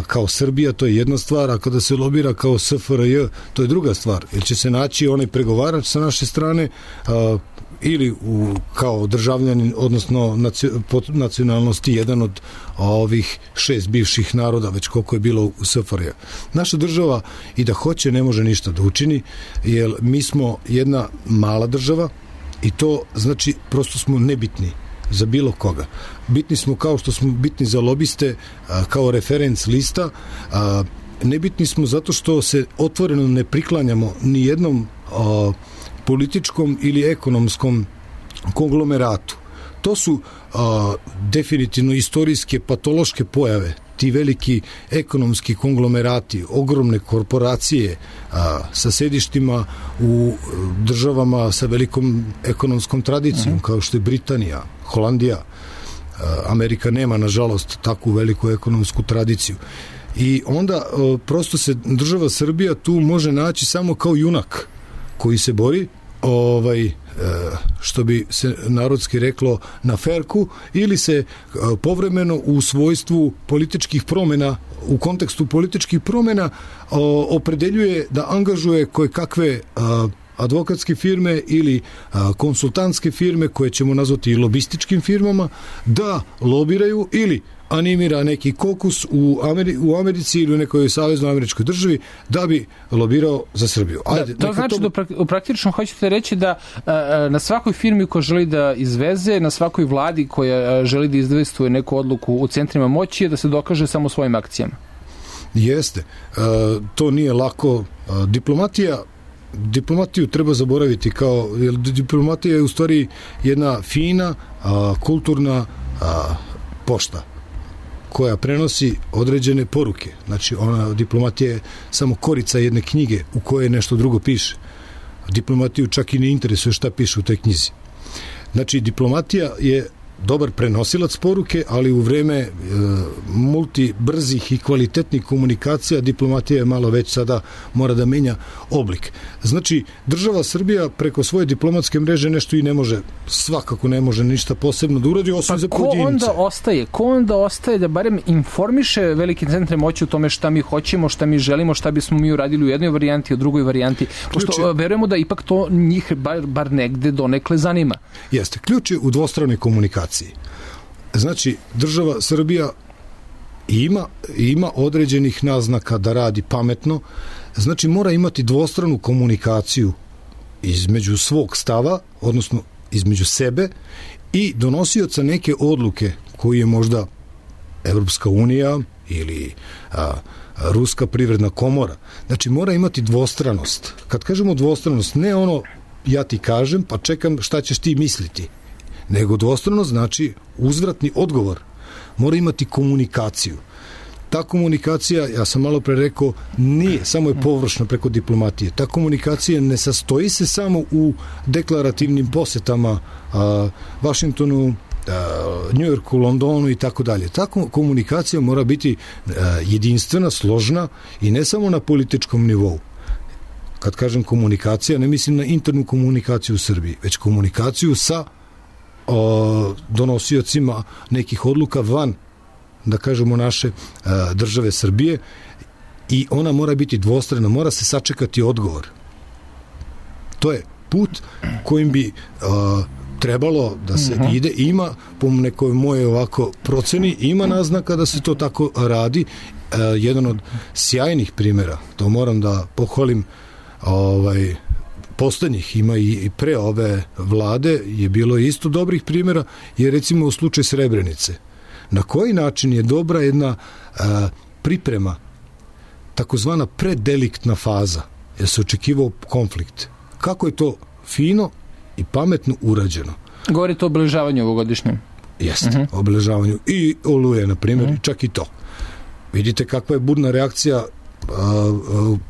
kao Srbija, to je jedna stvar, a kada se lobira kao SFRJ, to je druga stvar. Jer će se naći onaj pregovarač sa naše strane ili kao državljanin, odnosno po nacionalnosti jedan od ovih 6 bivših naroda, već koliko je bilo u SFRJ. Naša država i da hoće ne može ništa da učini, jer mi smo jedna mala država, i to znači prosto smo nebitni za bilo koga. Bitni smo kao što smo bitni za lobiste, kao referenc lista, nebitni smo zato što se otvoreno ne priklanjamo ni jednom političkom ili ekonomskom konglomeratu. To su definitivno istorijske patološke pojave, ti veliki ekonomski konglomerati, ogromne korporacije sa sedištima u državama sa velikom ekonomskom tradicijom, kao što je Britanija, Holandija. Amerika nema, nažalost, takvu veliku ekonomsku tradiciju. I onda prosto se država Srbija tu može naći samo kao junak koji se bori što bi se narodski reklo na ferku, ili se povremeno u svojstvu političkih promjena, u kontekstu političkih promjena opredeljuje da angažuje koje kakve advokatske firme ili konsultantske firme koje ćemo nazvati i lobističkim firmama, da lobiraju ili animira neki kokus u Americi ili u nekoj saveznoj američkoj državi da bi lobirao za Srbiju. Ajde, to znači da praktično hoćete reći da na svakoj firmi koja želi da izveze, na svakoj vladi koja želi da izvestuje neku odluku u centrima moći je da se dokaže samo svojim akcijama. Jeste. To nije lako. Diplomatiju treba zaboraviti jer diplomatija je u stvari jedna fina, kulturna pošta koja prenosi određene poruke. Znači, diplomatija je samo korica jedne knjige u kojoj nešto drugo piše. Diplomatiju čak i ne interesuje šta piše u toj knjizi. Znači, diplomatija je dobar prenosilac poruke, ali u vreme multibrzih i kvalitetnih komunikacija diplomatija je malo već sada mora da menja oblik. Znači, država Srbija preko svoje diplomatske mreže nešto i ne može, svakako ne može ništa posebno da uradi, osim za pojedince. Ko onda ostaje da barem informiše velike centre moći o tome šta mi hoćemo, šta mi želimo, šta bismo mi uradili u jednoj varijanti, u drugoj varijanti, pošto verujemo da ipak to njih bar negde donekle zanima. Jeste, ključ je u dvostranoj komunikaciji. Znači, država Srbija ima određenih naznaka da radi pametno, znači mora imati dvostranu komunikaciju između svog stava, odnosno između sebe i donosioca neke odluke koji je možda Evropska unija ili Ruska privredna komora. Znači, mora imati dvostranost. Kad kažemo dvostranost, ne ono ja ti kažem pa čekam šta ćeš ti misliti, nego dvostrano znači uzvratni odgovor. Mora imati komunikaciju. Ta komunikacija, ja sam malo pre rekao, nije, samo je površna preko diplomatije. Ta komunikacija ne sastoji se samo u deklarativnim posetama Vašingtonu, Njujorku, Londonu i tako dalje. Ta komunikacija mora biti jedinstvena, složna i ne samo na političkom nivou. Kad kažem komunikacija, ne mislim na internu komunikaciju u Srbiji, već komunikaciju sa donosiocima nekih odluka van, da kažemo, naše države Srbije, i ona mora biti dvostrana, mora se sačekati odgovor. To je put kojim bi trebalo da se ide. Ima, po nekoj moje ovako proceni, ima naznaka da se to tako radi. Jedan od sjajnih primjera, to moram da pohvalim, poslednjih, ima i pre ove vlade, je bilo isto dobrih primjera, je recimo u slučaju Srebrenice. Na koji način je dobra jedna priprema, takozvana preddeliktna faza, jer se očekivao konflikt. Kako je to fino i pametno urađeno. Govorite o obeležavanju ovogodišnjem. Jeste, obeležavanju i Oluje, na primjer, čak i to. Vidite kakva je burna reakcija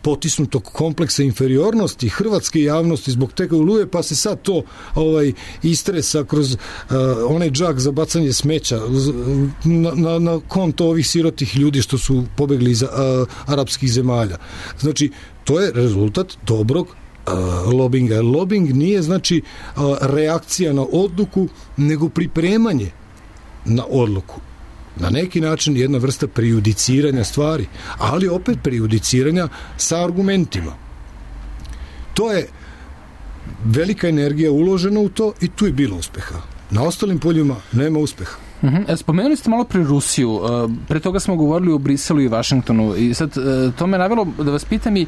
potisnutog kompleksa inferiornosti hrvatske javnosti zbog tega Oluje, pa se sad to istresa kroz onaj džak za bacanje smeća na konto ovih sirotih ljudi što su pobegli iz arapskih zemalja. Znači, to je rezultat dobrog lobinga. Lobing nije znači reakcija na odluku, nego pripremanje na odluku. Na neki način jedna vrsta prejudiciranja stvari, ali opet prejudiciranja sa argumentima. To je velika energija uložena u to i tu je bilo uspeha. Na ostalim poljima nema uspeha. Spomenuli ste malo pre Rusiju, pre toga smo govorili o Briselu i Vašingtonu i sad to me navelo da vas pitam i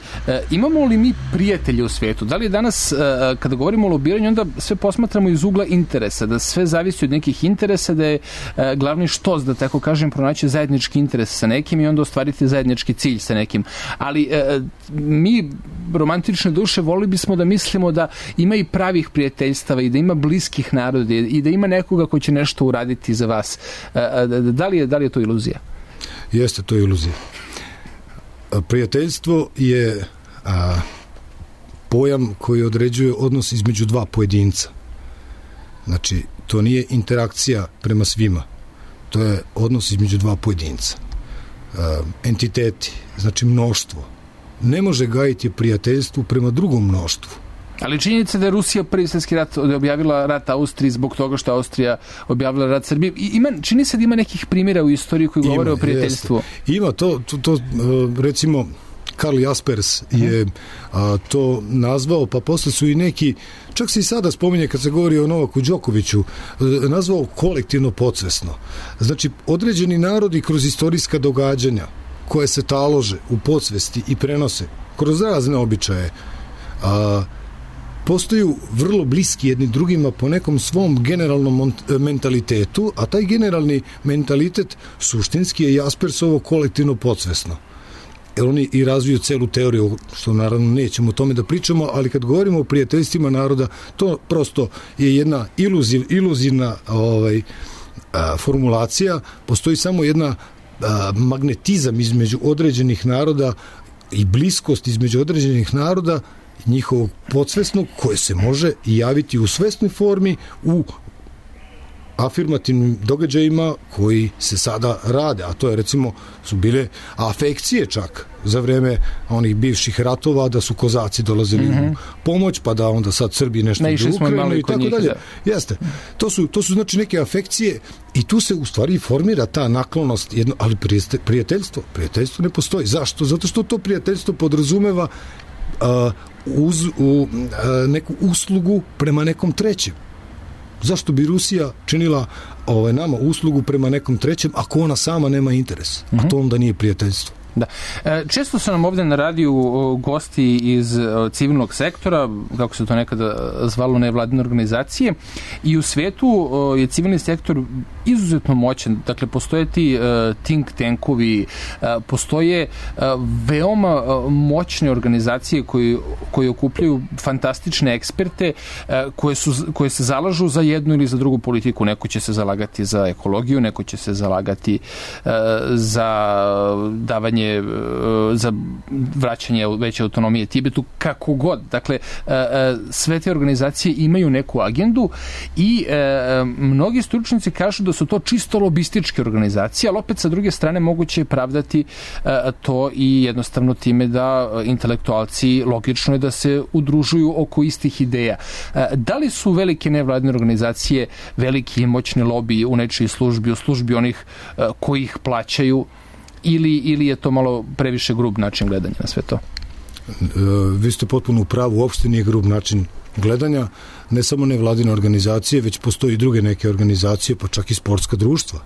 imamo li mi prijatelje u svijetu? Da li je danas, kada govorimo o lobiranju, onda sve posmatramo iz ugla interesa, da sve zavisi od nekih interesa, da je glavni štos, da tako kažem, pronaći zajednički interes sa nekim i onda ostvariti zajednički cilj sa nekim. Ali mi, romantične duše, volili bismo da mislimo da ima i pravih prijateljstava i da ima bliskih naroda i da ima nekoga ko će nešto uraditi za vas. Da li je to iluzija? Jeste, to je iluzija. Prijateljstvo je pojam koji određuje odnos između dva pojedinca. Znači, to nije interakcija prema svima. To je odnos između dva pojedinca. Entiteti, znači mnoštvo. Ne može gajiti prijateljstvo prema drugom mnoštvu. Ali činjenica da je Rusija prvi svjetski rat objavila rat Austriji zbog toga što Austrija objavila rat Srbiji. Čini se da ima nekih primjera u istoriji koji govore o prijateljstvu. Jeste. Ima to recimo Karl Jaspers je to nazvao, pa posle su i neki, čak se i sada spominje kad se govori o Novaku Đokoviću, nazvao kolektivno podsvesno. Znači, određeni narodi kroz istorijska događanja koje se talože u podsvesti i prenose kroz razne običaje, postaju vrlo bliski jedni drugima po nekom svom generalnom mentalitetu, a taj generalni mentalitet suštinski je Jaspersovo kolektivno podsvesno. Jer oni i razviju celu teoriju, što naravno nećemo o tome da pričamo, ali kad govorimo o prijateljstvima naroda, to prosto je jedna iluzivna formulacija, postoji samo jedna magnetizam između određenih naroda i bliskost između određenih naroda, njihovog podsvesnog, koje se može javiti u svesnoj formi u afirmativnim događajima koji se sada rade, a to je recimo su bile afekcije čak za vreme onih bivših ratova, da su kozaci dolazili u pomoć, pa da onda sad Srbi nešto idu u Ukrajinu i tako dalje. Jeste. To su znači neke afekcije i tu se u stvari formira ta naklonost, ali prijateljstvo ne postoji. Zašto? Zato što to prijateljstvo podrazumeva neku uslugu prema nekom trećem. Zašto bi Rusija činila nama uslugu prema nekom trećem ako ona sama nema interes? A to onda nije prijateljstvo. Da. Često su nam ovdje na radiju gosti iz civilnog sektora, kako se to nekada zvalo, nevladine organizacije, i u svijetu je civilni sektor izuzetno moćan. Dakle, postoje ti think tankovi, postoje veoma moćne organizacije koje okupljaju fantastične eksperte koje se zalažu za jednu ili za drugu politiku. Neko će se zalagati za ekologiju, neko će se zalagati za davanje, za vraćanje veće autonomije Tibetu, kako god. Dakle, sve te organizacije imaju neku agendu i mnogi stručnjaci kažu da su to čisto lobističke organizacije, ali opet sa druge strane moguće je pravdati to i jednostavno time da intelektualci, logično je da se udružuju oko istih ideja. Da li su velike nevladine organizacije veliki i moćni lobiji u nečiji službi, u službi onih koji ih plaćaju, ili je to malo previše grub način gledanja na sve to? Vi ste potpuno u pravu, uopšte nije grub način gledanja, ne samo nevladine organizacije, već postoji i druge neke organizacije, pa čak i sportska društva.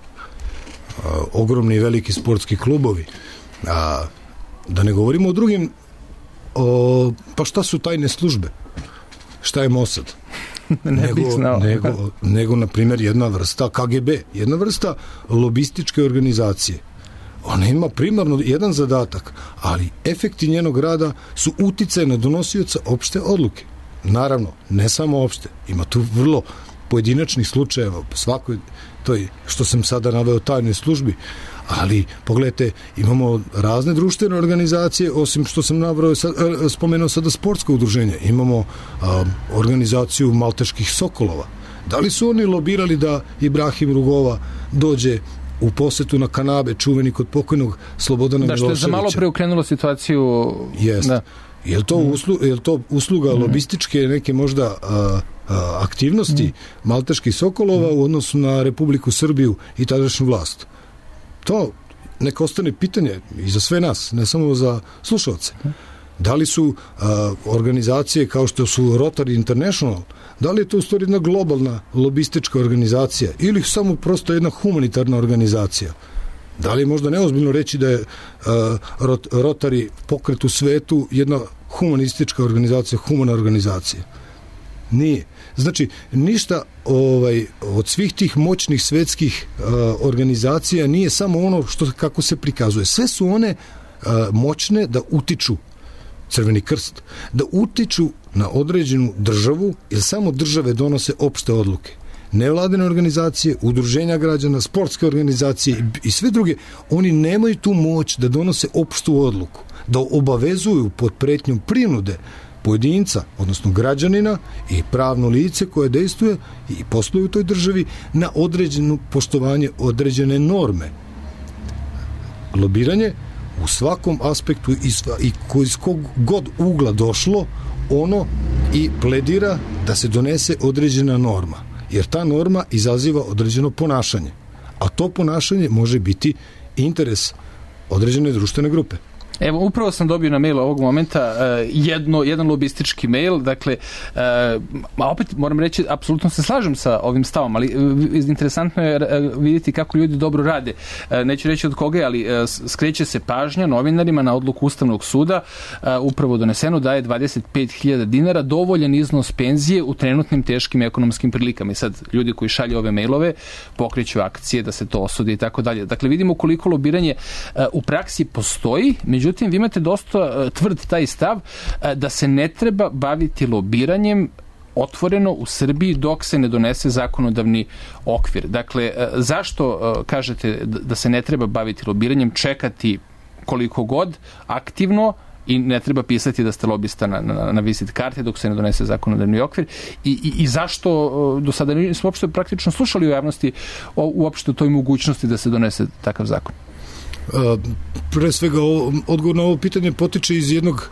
Ogromni i veliki sportski klubovi. Da ne govorimo o drugim, pa šta su tajne službe? Šta je Mossad? nego, na primjer, jedna vrsta KGB, jedna vrsta lobističke organizacije. Ona ima primarno jedan zadatak, ali efekti njenog rada su uticaj na donosioca opšte odluke. Naravno, ne samo opšte, ima tu vrlo pojedinačnih slučajeva, svakoj toj, što sam sada naveo, tajnoj službi, ali pogledajte, imamo razne društvene organizacije, osim što sam spomenuo sada sportsko udruženje, imamo organizaciju Malteških sokolova. Da li su oni lobirali da Ibrahim Rugova dođe u posetu na Kanabe, čuveni kod pokojnog Slobodana Miloševića? Da, što je za malo preokrenulo situaciju. Jeste. Da. Je li to usluga lobističke neke možda aktivnosti Malteških sokolova u odnosu na Republiku Srbiju i tadašnju vlast? To neka ostane pitanje i za sve nas, ne samo za slušalce. Da li su organizacije kao što su Rotary International, da li je to u stvari jedna globalna lobistička organizacija ili samo prosto jedna humanitarna organizacija? Da li je možda neozbiljno reći da je Rotary pokret u svetu jedna humanistička organizacija, humana organizacija? Nije. Znači, ništa od svih tih moćnih svetskih organizacija nije samo ono kako se prikazuje. Sve su one moćne da utiču, Crveni krst, da utiču na određenu državu, jer samo države donose opšte odluke. Nevladine organizacije, udruženja građana, sportske organizacije i sve druge, oni nemaju tu moć da donose opštu odluku, da obavezuju pod pretnjom prinude pojedinca, odnosno građanina i pravno lice koje dejstvuje i posluje u toj državi na određeno poštovanje određene norme. Lobiranje u svakom aspektu i iz kog god ugla došlo, ono i pledira da se donese određena norma, jer ta norma izaziva određeno ponašanje, a to ponašanje može biti interes određene društvene grupe. Evo, upravo sam dobio na mail ovog momenta jedan lobistički mail, dakle, a opet moram reći, apsolutno se slažem sa ovim stavom, ali interesantno je vidjeti kako ljudi dobro rade. Neću reći od koga, ali skreće se pažnja novinarima na odluku Ustavnog suda, upravo doneseno da je 25.000 dinara dovoljan iznos penzije u trenutnim teškim ekonomskim prilikama. I sad ljudi koji šalju ove mailove pokreću akcije da se to osudi i tako dalje. Dakle, vidimo koliko lobiranje u praksi postoji, međutim, vi imate dosta tvrd taj stav da se ne treba baviti lobiranjem otvoreno u Srbiji dok se ne donese zakonodavni okvir. Dakle, zašto kažete da se ne treba baviti lobiranjem, čekati koliko god aktivno i ne treba pisati da ste lobista na vizit karti dok se ne donese zakonodavni okvir i zašto do sada nismo uopšte praktično slušali u javnosti uopšte o toj mogućnosti da se donese takav zakon? Pre svega, odgovor na ovo pitanje potiče iz jednog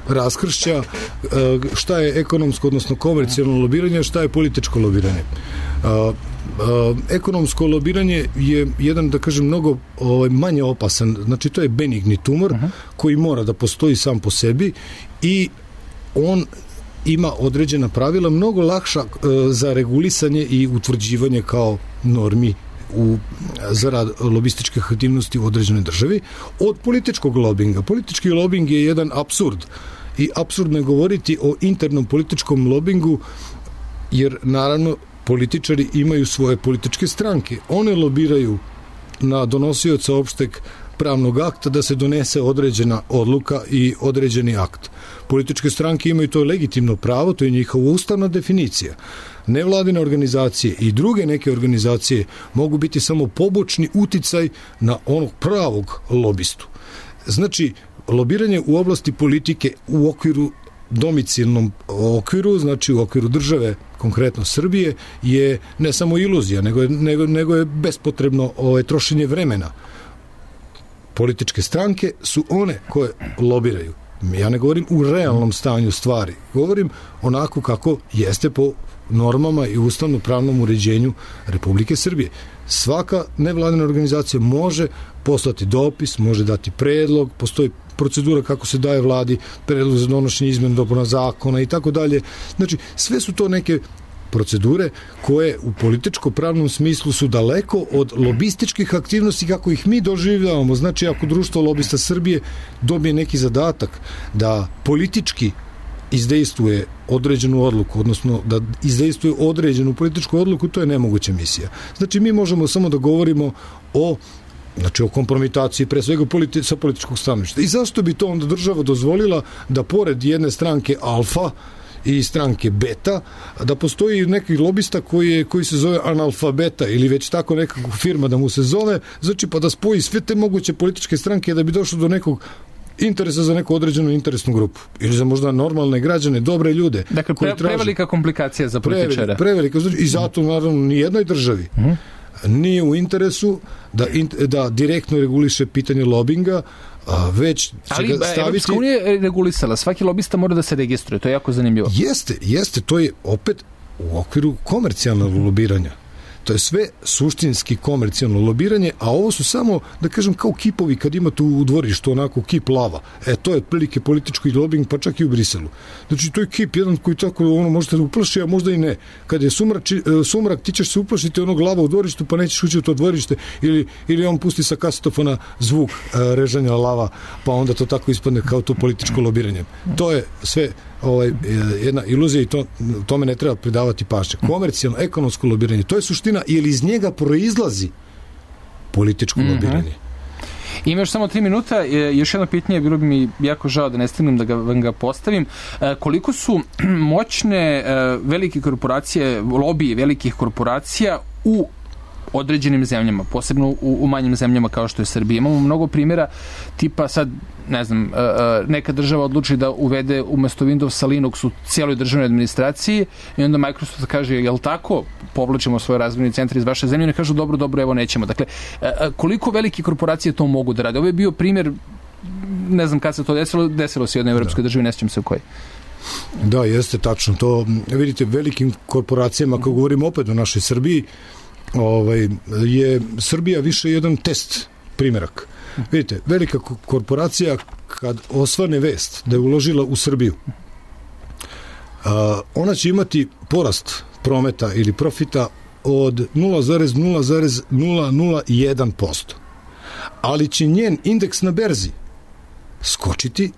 raskršća šta je ekonomsko, odnosno komercijalno lobiranje, šta je političko lobiranje. Ekonomsko lobiranje je jedan, da kažem, mnogo manje opasan, znači to je benigni tumor koji mora da postoji sam po sebi i on ima određena pravila, mnogo lakša za regulisanje i utvrđivanje kao normi za rad lobističkih aktivnosti u određenoj državi od političkog lobinga. Politički lobing je jedan apsurd i apsurdno je govoriti o internom političkom lobingu, jer naravno političari imaju svoje političke stranke. One lobiraju na donosioca opšteg pravnog akta da se donese određena odluka i određeni akt. Političke stranke imaju to legitimno pravo, to je njihova ustavna definicija. Nevladine organizacije i druge neke organizacije mogu biti samo pobočni uticaj na onog pravog lobistu. Znači, lobiranje u oblasti politike u okviru domicilnom okviru, znači u okviru države, konkretno Srbije, je ne samo iluzija, nego je bespotrebno trošenje vremena. Političke stranke su one koje lobiraju. Ja ne govorim u realnom stanju stvari, govorim onako kako jeste po normama i ustavno-pravnom uređenju Republike Srbije. Svaka nevladina organizacija može poslati dopis, može dati predlog, postoji procedura kako se daje vladi predlog za donošenje izmjena dopuna zakona i tako dalje. Znači, sve su to neke procedure koje u političko-pravnom smislu su daleko od lobističkih aktivnosti kako ih mi doživljavamo. Znači, ako Društvo lobista Srbije dobije neki zadatak da politički izdejstvuje određenu odluku, odnosno da izdejstvuje određenu političku odluku, to je nemoguća misija. Znači, mi možemo samo da govorimo o kompromitaciji pre svega sa političkog stanovišta. I zašto bi to onda država dozvolila da pored jedne stranke alfa i stranke beta, da postoji neki lobista koji se zove analfabeta ili već tako nekakva firma da mu se zove, znači pa da spoji sve te moguće političke stranke da bi došlo do nekog interesa za neku određenu interesnu grupu ili za možda normalne građane, dobre ljude. Dakle, prevelika komplikacija za političara. Prevelika, znači, i zato naravno nijednoj državi nije u interesu da direktno reguliše pitanje lobinga, već će ga staviti... Ali Evropska unija je regulisala, svaki lobista mora da se registruje, to je jako zanimljivo. Jeste, to je opet u okviru komercijalnog lobiranja. To je sve suštinski komercijalno lobiranje, a ovo su samo, da kažem, kao kipovi kad imate u dvorištu onako kip lava. To je otprilike politički lobing, pa čak i u Briselu. Znači, to je kip jedan koji tako možete da uplaši, a možda i ne. Kad je sumrak, ti ćeš se uplašiti onog lava u dvorištu, pa nećeš ući u to dvorište, ili on pusti sa kasetofona zvuk režanja lava, pa onda to tako ispadne kao to političko lobiranje. To je sve jedna iluzija i tome ne treba pridavati pažnje. Komercijalno, ekonomsko lobiranje, to je suština, jer iz njega proizlazi političko lobiranje. Ima još samo 3 minuta, još jedno pitanje, bilo bi mi jako žao da ne stignem da vam ga postavim. Koliko su moćne velike korporacije, lobiji velikih korporacija u određenim zemljama, posebno u manjim zemljama kao što je Srbija. Imamo mnogo primjera, tipa sad, ne znam, neka država odluči da uvede umesto Windowsa Linux u cijeloj državnoj administraciji i onda Microsoft kaže, jel tako, povlačimo svoje razvojni centar iz vaše zemlje, ne kažu, dobro, evo nećemo. Dakle, koliko velike korporacije to mogu da rade? Ovo je bio primjer, ne znam kad se to desilo se u jednoj evropskoj državi, ne sjećam se u kojoj. Da, jeste tačno. To, vidite, velikim korporacijama, ako govorimo opet o našoj Srbiji, je Srbija više jedan test primjerak. Vidite, velika korporacija kad osvane vest da je uložila u Srbiju, ona će imati porast prometa ili profita od 0,001%. Ali će njen indeks na berzi skočiti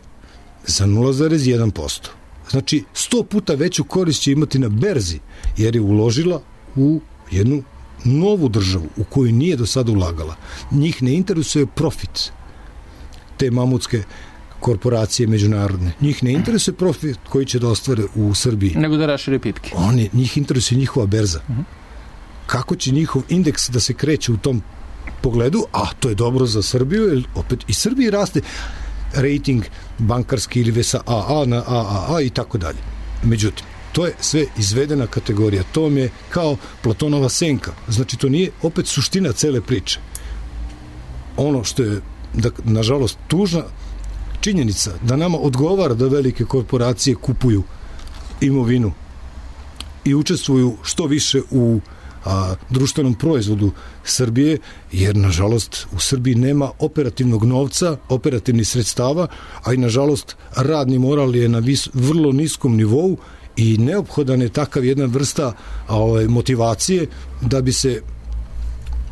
za 0,1%. Znači, 100 puta veću korist će imati na berzi, jer je uložila u jednu novu državu u koju nije do sada ulagala. Njih ne interesuje profit te mamutske korporacije međunarodne. Njih ne interesuje profit koji će da ostvare u Srbiji. Nego da rašire pipke. Njih interesuje njihova berza. Kako će njihov indeks da se kreće u tom pogledu, a to je dobro za Srbiju, jer opet i Srbiji raste rating bankarski ili sa AA na AAA i tako dalje. Međutim, to je sve izvedena kategorija. To vam je kao Platonova senka. Znači, to nije opet suština cele priče. Ono što je, nažalost, tužna činjenica da nama odgovara da velike korporacije kupuju imovinu i učestvuju što više u društvenom proizvodu Srbije, jer, nažalost, u Srbiji nema operativnog novca, operativnih sredstava, a i, nažalost, radni moral je na vrlo niskom nivou i neophodan je takav jedna vrsta motivacije da bi se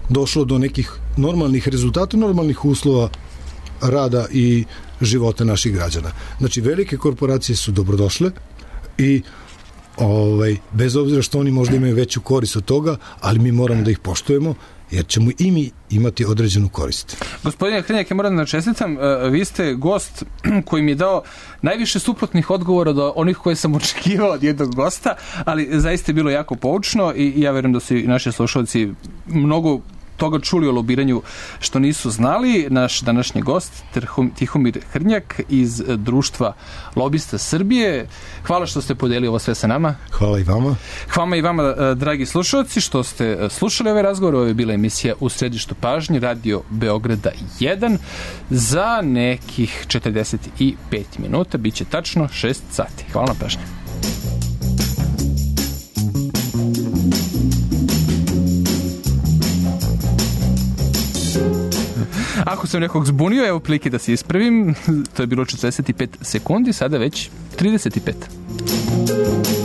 došlo do nekih normalnih rezultata, normalnih uslova rada i života naših građana. Znači, velike korporacije su dobrodošle i bez obzira što oni možda imaju veću korist od toga, ali mi moramo da ih poštujemo, jer ćemo i mi imati određenu korist. Gospodine Hrnjak, ja moram da čestitam, vi ste gost koji mi je dao najviše suprotnih odgovora do onih koje sam očekivao od jednog gosta, ali zaista je bilo jako poučno i ja verujem da su i naši slušalci mnogo toga čuli o lobiranju što nisu znali. Naš današnji gost, Tihomir Hrnjak iz Društva lobista Srbije. Hvala što ste podelili ovo sve sa nama. Hvala i vama. Hvala i vama, dragi slušalci, što ste slušali ovaj razgovor. Ovo je bila emisija U središtu pažnje, Radio Beograda 1. Za nekih 45 minuta, bit će tačno 6 sati. Hvala na pažnji. Ako sam nekog zbunio, evo prilike da se ispravim. To je bilo 45 sekundi, sada već 35.